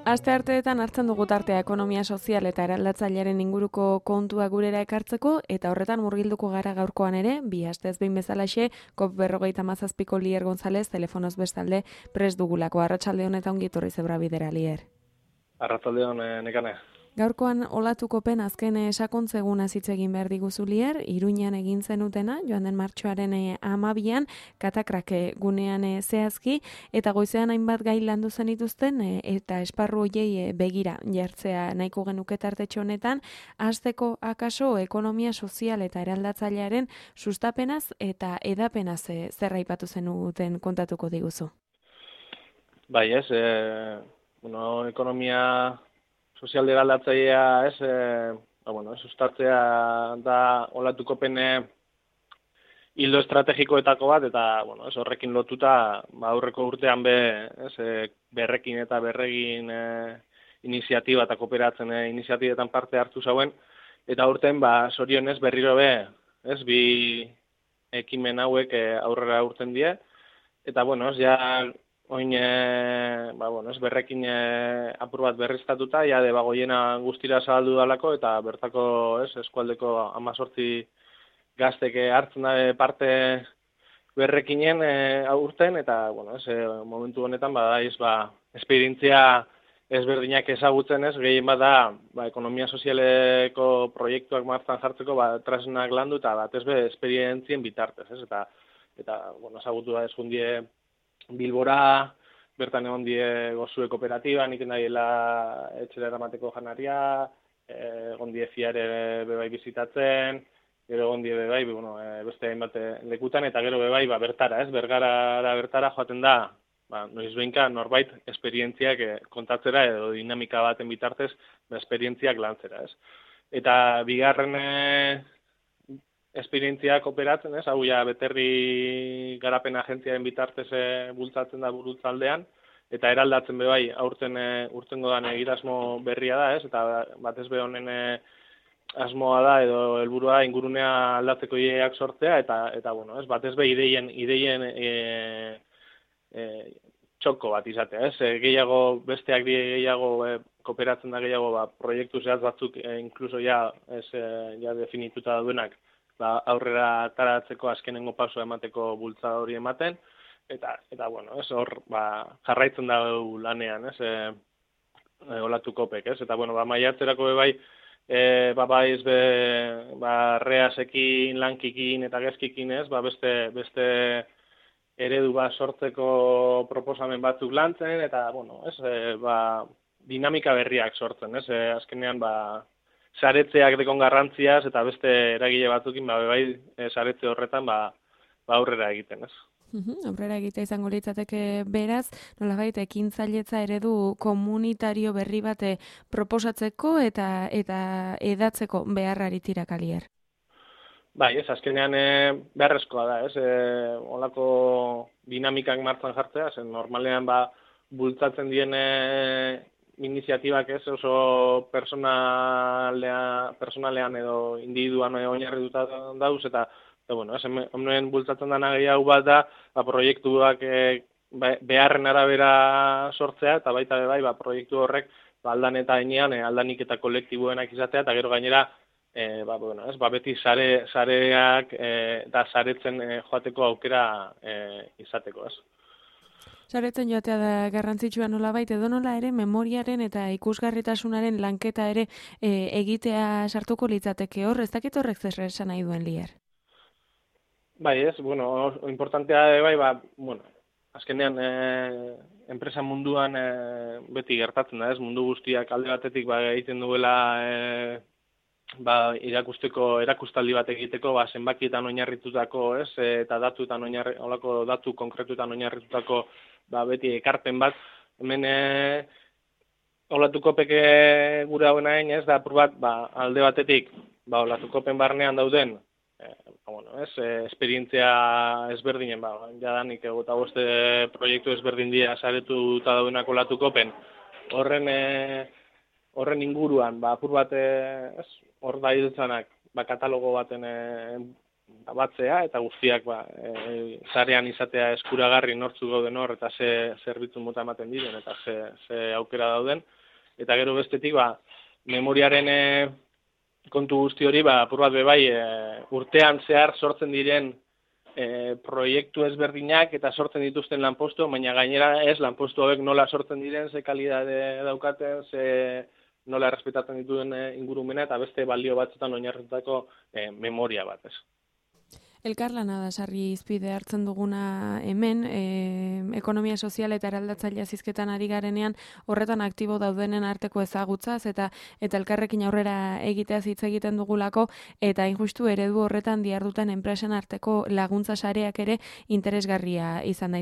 Astearteetan hartzen dugu tartea ekonomia sozial eta eraldatzailearen inguruko kontua gurera ekartzeko, eta horretan murgilduko gara gaurkoan ere, bi astez behin bezalaxe, COP57ko Lier González telefonoz bestalde prest dugulako. Arratsalde honetan ongi etorri zebra bidera, Lier. Arratsalde hon, Nekane. Gaurkoan olatukopen azken sakontzeguna hitz egin behar diguzu, Lier, Iruñan egin zenutena, joan den martxoaren 12an, katakrak gunean zehazki, eta goizean hainbat gai landu zenituzten, eta esparru hoiei begira jartzea nahiko genuke tartetxo honetan, hasteko akaso ekonomia sozial eta eraldatzailearen sustapenaz eta edapenaz zer aipatu zenuten kontatuko diguzu. Bai, ekonomia sozial eraldatzailea, sustatzea da olatukopen hildo estrategikoetako bat, eta horrekin lotuta aurreko urtean berrekin eta berregin iniziatiba eta kooperatzen iniziatibetan parte hartu zauen, eta urten zorionez berriro bi ekimen hauek aurrera urten die, eta oin, berrekin apur bat berriztatuta, jade bagoiena guztira zabaldu dalako, eta bertako eskualdeko 18 gaztek hartzen da parte berrekinen aurten, eta momentu honetan esperientzia ezberdinak ezagutzen gehien bada ekonomia sozialeko proiektuak martzan jartzeko tresnak landu, eta batez esperientzien bitartez, eta ezagutu da eskundie Bilbora, bertan egon die gozue kooperatiba, nik nahiela etxera eramateko janaria, egon die fiare bebai bizitatzen, gero egon die bebai, beste hainbat lekutan, eta gero bebai bertara, bertara joaten da, noizbehinka norbait esperientziak kontatzera edo dinamika baten bitartez, esperientziak lantzera, Eta bigarren esperientzia kooperatzen, hau beterri garapen agentziaren bitartez bultzatzen da burutzaldean, eta eraldatzen bebai urtengo dan egitasmo berria da, eta batez honen asmoa da edo helburua ingurunea aldatzeko ideak sortzea, eta batez ideien txoko bat izatea, gehiago, besteak gehiago kooperatzen da gehiago, proiektu zehaz batzuk inkluso definituta duenak, aurrera ataratzeko azkenengo pausua emateko bultzada hori ematen, eta hor jarraitzen da lanean, olatukopek, eta maiatzerako reasekin, lankikin eta gezkikin, beste eredu sortzeko proposamen batzuk lantzen, eta dinamika berriak sortzen, azkenean saretzeak dekon garrantziaz, eta beste eragile batzukin, saretze horretan, aurrera egiten, Aurrera egitea izango litzateke beraz, nolabait ekintzailetza eredu komunitario berri bate proposatzeko eta edatzeko beharrari tirakalier. Azkenean beharrezkoa da, olako dinamikak martzan jartzea, normalean bultzatzen dien iniziatibak oso personalean edo individuan oinarrituta dauz, eta hemen bultzatzen dena gehiago bat da, proiektuak beharren arabera sortzea, eta baita proiektu horrek aldan eta enean, aldanik eta kolektiboenak izatea, eta gero gainera, beti sareak eta saretzen joateko aukera izateko, Saretzen joatea da garrantzitsua nolabait, edo nola ere memoriaren eta ikusgarritasunaren lanketa ere egitea sartuko litzateke hor, ez dakit horrek zer esan nahi duen, Lier? Importantea azkenean enpresa munduan beti gertatzen da, mundu guztiak alde batetik egiten duela erakustaldi bat egiteko, zenbakietan oinarritutako, eta datu konkretuetan oinarritutako beti ekarpen bat, hemen olatukopek gure hauen hain, da apur bat, alde batetik, olatukopen barnean dauden esperientzia ezberdinen, jadanik egota boste proiektu ezberdin dira saretuta daudenak olatukopen, horren inguruan, apur bat, hor da idutzanak, katalogo baten batzea, eta guztiak sarean izatea eskuragarri nortzuk gauden hor, eta ze zerbitzu mota ematen diren, eta ze aukera dauden. Eta gero bestetik, memoriaren kontu guzti hori, apur bat bebai, urtean zehar sortzen diren proiektu ezberdinak eta sortzen dituzten lanpostu, baina gainera ez lanpostu hauek nola sortzen diren, ze kalidade daukaten, ze nola errespetatzen dituen ingurumena, eta beste balio batzutan oinarritutako memoria bat, ez. Elkarlana da sarri izpide hartzen duguna hemen, ekonomia sozial eta eraldatzailea zizketan ari garenean horretan aktibo daudenen arteko ezagutzaz eta elkarrekin aurrera egiteaz hitz egiten dugulako eta injustu eredu horretan diharduten enpresen arteko laguntza sareak ere interesgarria izan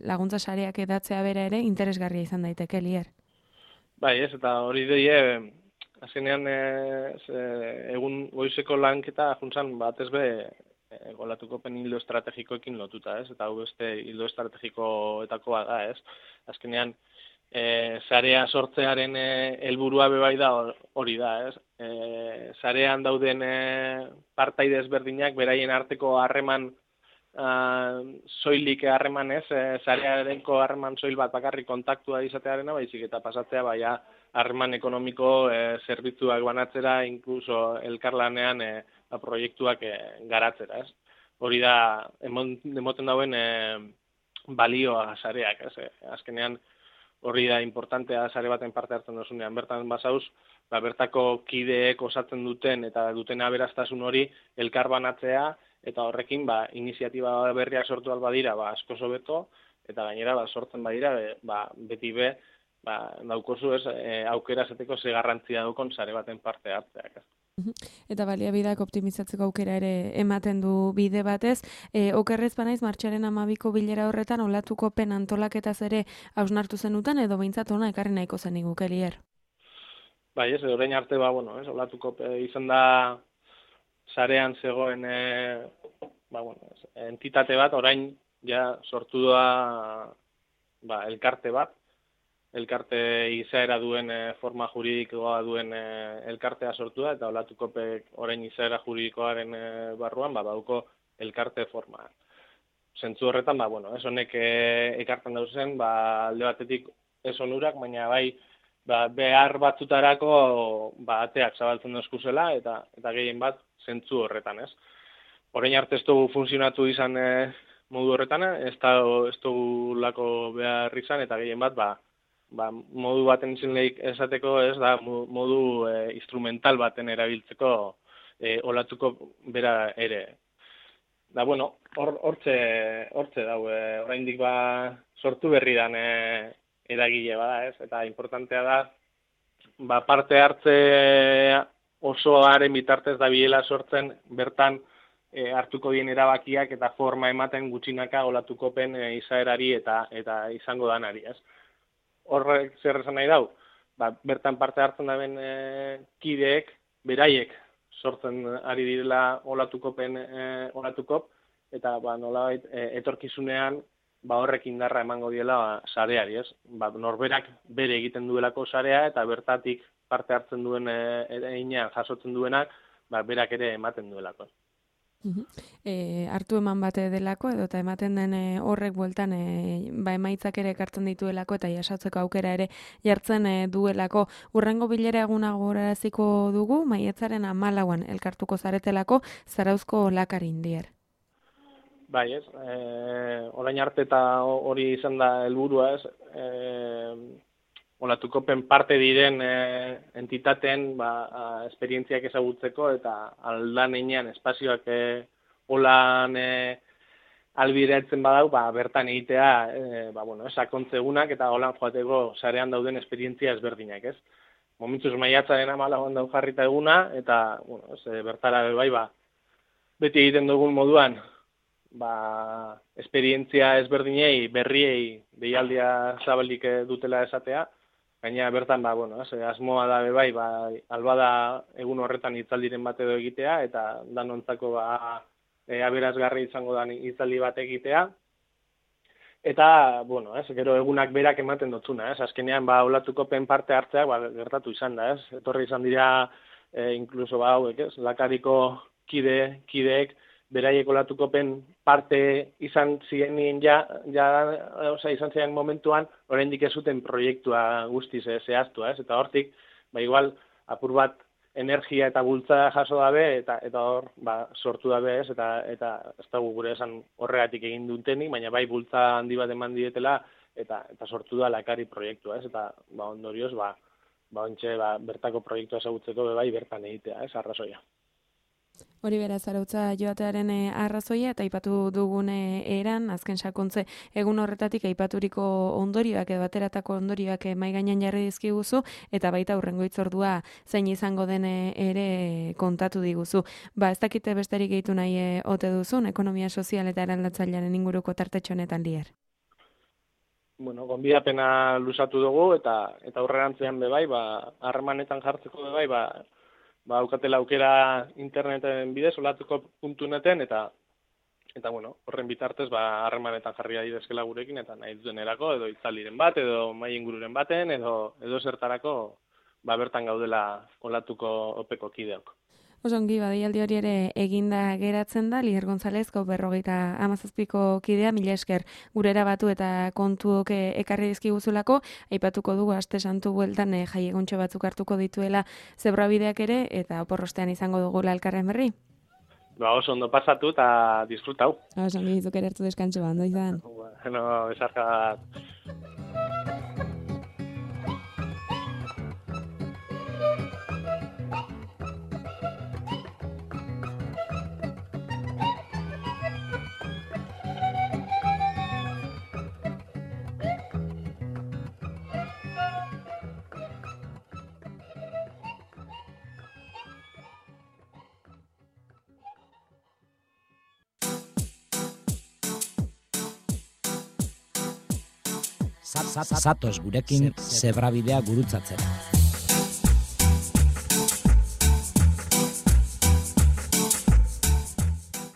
laguntza sareak edatzea bera ere interesgarria izan daiteke, Lier. Bai, ez, eta hori deie, azkenean egun goizeko lanketa juntzan batez be olatukopen hildo estrategikoekin lotuta, ez? Eta hau beste hildo estrategikoetakoa da, ez? Azkenean, sarea sortzearen helburua bebai da hori da, ez? Sarean dauden partaide ezberdinak beraien arteko harreman soilik harreman, ez? Sarearenko harreman soil bat bakarrik kontaktua izatearena, baizik eta pasatzea baia harreman ekonomiko zerbitzuak banatzera, inkluso elkarlanean proiektuak garatzera, ez? Hori da, emoten dauen balioa sareak, ez? Azkenean hori da importantea sare baten parte hartzen dozunean. Bertan bazauz, bertako kideek osatzen duten eta duten aberastasun hori elkar banatzea, eta horrekin iniziatiba berriak sortu albadira asko hobeto, eta gainera sortzen badira beti daukozu ez aukera zeteko ze garrantzia dukon sare baten parte hartzeak. Eta baliabideak optimizatzeko aukera ere ematen du bide batez. Okerrez banaiz martxoaren 12ko bilera horretan olatukopen antolaketaz ere hausnartu zenuten edo behintzat ona ekarri nahiko zen iguke, Lier? Bai, ez, orain arte olatukope izan da sarean zegoen entitate bat, orain ja sortu da elkarte bat, elkarte izaera duen forma juridikoa duen elkartea sortu da, eta olatukopek orain izaera juridikoaren barruan dauko elkarte forma. Zentzu horretan, ez honek ekartzen dauzen, alde batetik ez onurak, baina behar batzutarako ateak zabaltzen dozkuzela, eta gehien bat zentzu horretan, ez. Orain arte ez dugu funtzionatu izan modu horretan, ez dugu lako behar izan, eta gehien bat, modu baten izenleik esateko ez da modu instrumental baten erabiltzeko olatuko bera ere. Da, hortze dau, oraindik sortu berri dan eragile bada, ez? Eta importantea da, parte hartze osoaren bitartez da bilela sortzen, bertan hartuko dien erabakiak eta forma ematen gutxinaka olatukopen izaerari eta izango danari, ez? Horrek zer esan nahi dau, bertan parte hartzen daben kideek, beraiek sortzen ari direla olatukop, eta nolabait etorkizunean horrek indarra emango diela sareari, ez? Norberak bere egiten duelako sarea, eta bertatik parte hartzen duen einean jasotzen duenak, berak ere ematen duelako. Hartu eman bate delako edo eta ematen den horrek bueltan emaitzak ere ekartzen dituelako eta jasotzeko aukera ere jartzen duelako. Hurrengo bilera eguna gogoraraziko dugu, maiatzaren 14an elkartuko zaretelako Zarauzko Lakarin, Lier. Bai, ez, orain arte eta hori izan da helburua, ez, olatukopen parte diren entitateen esperientziak ezagutzeko eta aldan einean espazioak holan albiratzen badau, bertan egitea sakontzegunak eta holan joateko sarean dauden esperientzia ezberdinak, ez? Momentuz maiatzaren 14an dau jarrita eguna, eta bertara beti egiten dugun moduan esperientzia ezberdinei, berriei deialdia zabalik dutela esatea, Gaina bertan, bueno, asmoa da bai, albada egun horretan hitzaldiren bat edo egitea, eta danontzako aberasgarri izango da hitzaldi bat egitea. Eta, bueno, gero egunak berak ematen dotzuna, azkenean, olatukopen parte hartzeak, gertatu izan da, etorri izan dira, inkluso, hauek, Lakariko kideek, beraiek olatukopen parte izan ziren izan ziren momentuan, oraindik ez zuten proiektua guztiz zehaztu, eta hortik, igual, apur bat, energia eta bultza jaso dabe, eta hor, sortu dabe, eta ez da gure esan horregatik egin dutenik, baina bai bultza handi bat eman dietela, eta sortu da Lakari proiektua, eta ondorioz, bertako proiektua ezagutzeko bai bertan egitea, arrazoia. Hori bera, Zarautza joatearen arrazoia, eta aipatu dugun eran, azken sakontze egun horretatik aipaturiko ondorioak edo bateratako ondorioak mai gainean jarri dizkiguzu, eta baita hurrengo hitzordua zein izango den ere kontatu diguzu. Ez dakite besterik gehitu nahi ote duzun, ekonomia sozial eta eraldatzailearen inguruko tartetxo honetan Lier. Bueno, gonbidapena luzatu dugu, eta aurrerantzean bai, harremanetan jartzeko bai, aukatela aukera interneten bidez, olatuko.neten, eta bueno, horren bitartez, harremanetan jarri daitezkeela gurekin, eta nahi duten erako, edo itzaliren bat, edo mai ingururen baten, edo zertarako, bertan gaudela olatuko opeko kideok. Osongi, deialdi hori ere eginda geratzen da, Lier González, COP27ko kidea, mila esker gurera batu eta kontuok ekarri dizkiguzulako, aipatuko dugu aste santu bueltan jaieguntxo batzuk hartuko dituela zebrabideak ere, eta oporrostean izango dugu elkarren berri. Oso ondo pasatu eta disfrutau. Osongi, zuk ere hartu deskantxo ondo izan. Bueno, besarka. Zatoz gurekin zebrabidea gurutzatzera.